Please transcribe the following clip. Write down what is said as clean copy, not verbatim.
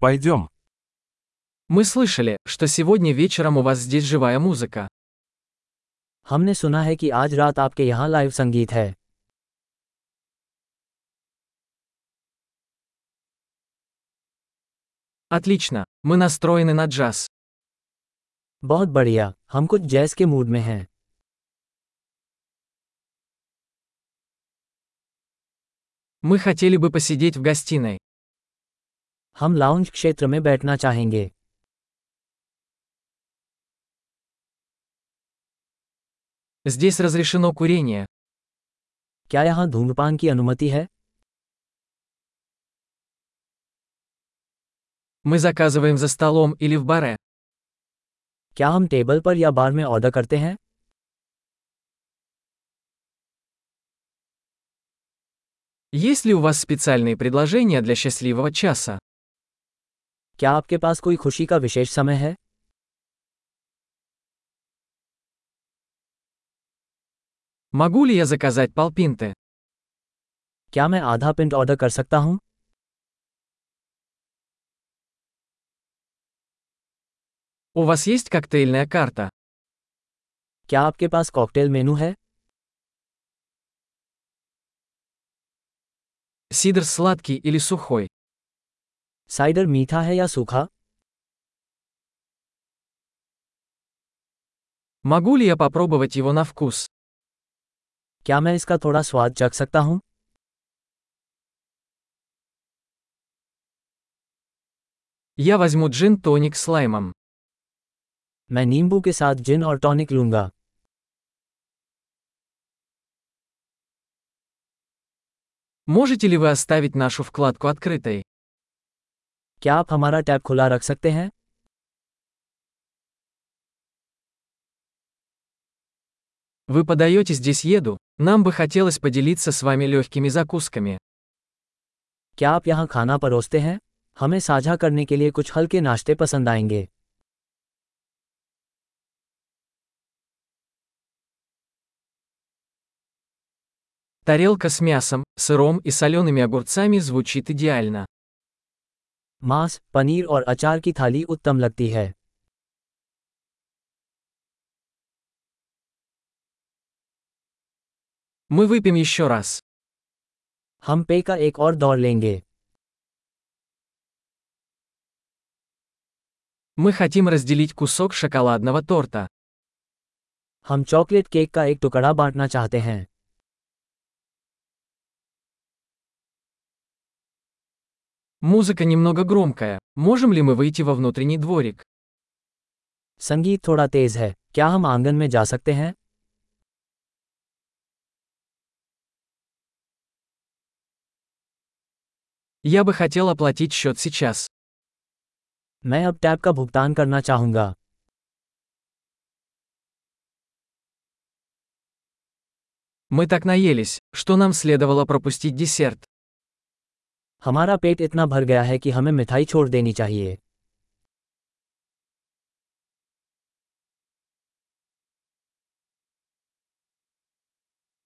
Пойдем. Мы слышали, что сегодня вечером у вас здесь живая музыка. हमने सुना है कि आज रात आपके यहाँ लाइव संगीत है। Отлично, мы настроены на джаз. बहुत बढ़िया, हम कुछ जैज़ के मूड में हैं। Мы хотели бы посидеть в гостиной. हम लाउंज क्षेत्र में बैठना चाहेंगे। Здесь разрешено курение. क्या यहाँ धूम्रपान की अनुमति है? Мы заказываем за столом или в баре. क्या हम टेबल पर या बार में ऑर्डर करते हैं? Есть ли у вас специальные предложения для счастливого часа? क्या आपके पास कोई खुशी का विशेष समय है? Могу ли я заказать полпинты? क्या मैं आधा पिंट ऑर्डर कर सकता हूँ? У вас есть коктейльная карта? क्या आपके पास कॉकटेल मेनू है? Сидр сладкий или сухой? साइडर मीठा है या सूखा? Могу ли я попробовать его на вкус? क्या मैं इसका थोड़ा स्वाद चख सकता हूँ? Я возьму джин-тоник с лаймом. मैं नींबू के साथ जिन और टॉनिक लूंगा। Можете ли вы оставить нашу вкладку открытой? क्या आप हमारा टैब खुला रख सकते हैं? Вы подаете здесь еду? Нам бы хотелось поделиться с вами легкими закусками. क्या आप यहाँ खाना परोसते हैं? हमें साझा करने के लिए कुछ हल्के नाश्ते पसंद आएंगे। Тарелка с мясом, сыром и солеными огурцами звучит идеально. मांस, पनीर और अचार की थाली उत्तम लगती है। Мы выпьем еще раз. हम पेय का एक और दौर लेंगे। Мы хотим разделить кусок шоколадного торта. हम चॉकलेट केक का एक टुकड़ा बांटना चाहते हैं। Музыка немного громкая. Можем ли мы выйти во внутренний дворик? संगीत थोड़ा तेज है, क्या हम आंगन में जा सकते हैं? Я бы хотел оплатить счет сейчас. मैं अब टैब का भुगतान करना चाहूँगा। Мы так наелись, что нам следовало пропустить десерт. हमारा पेट इतना भर गया है कि हमें मिठाई छोड़ देनी चाहिए।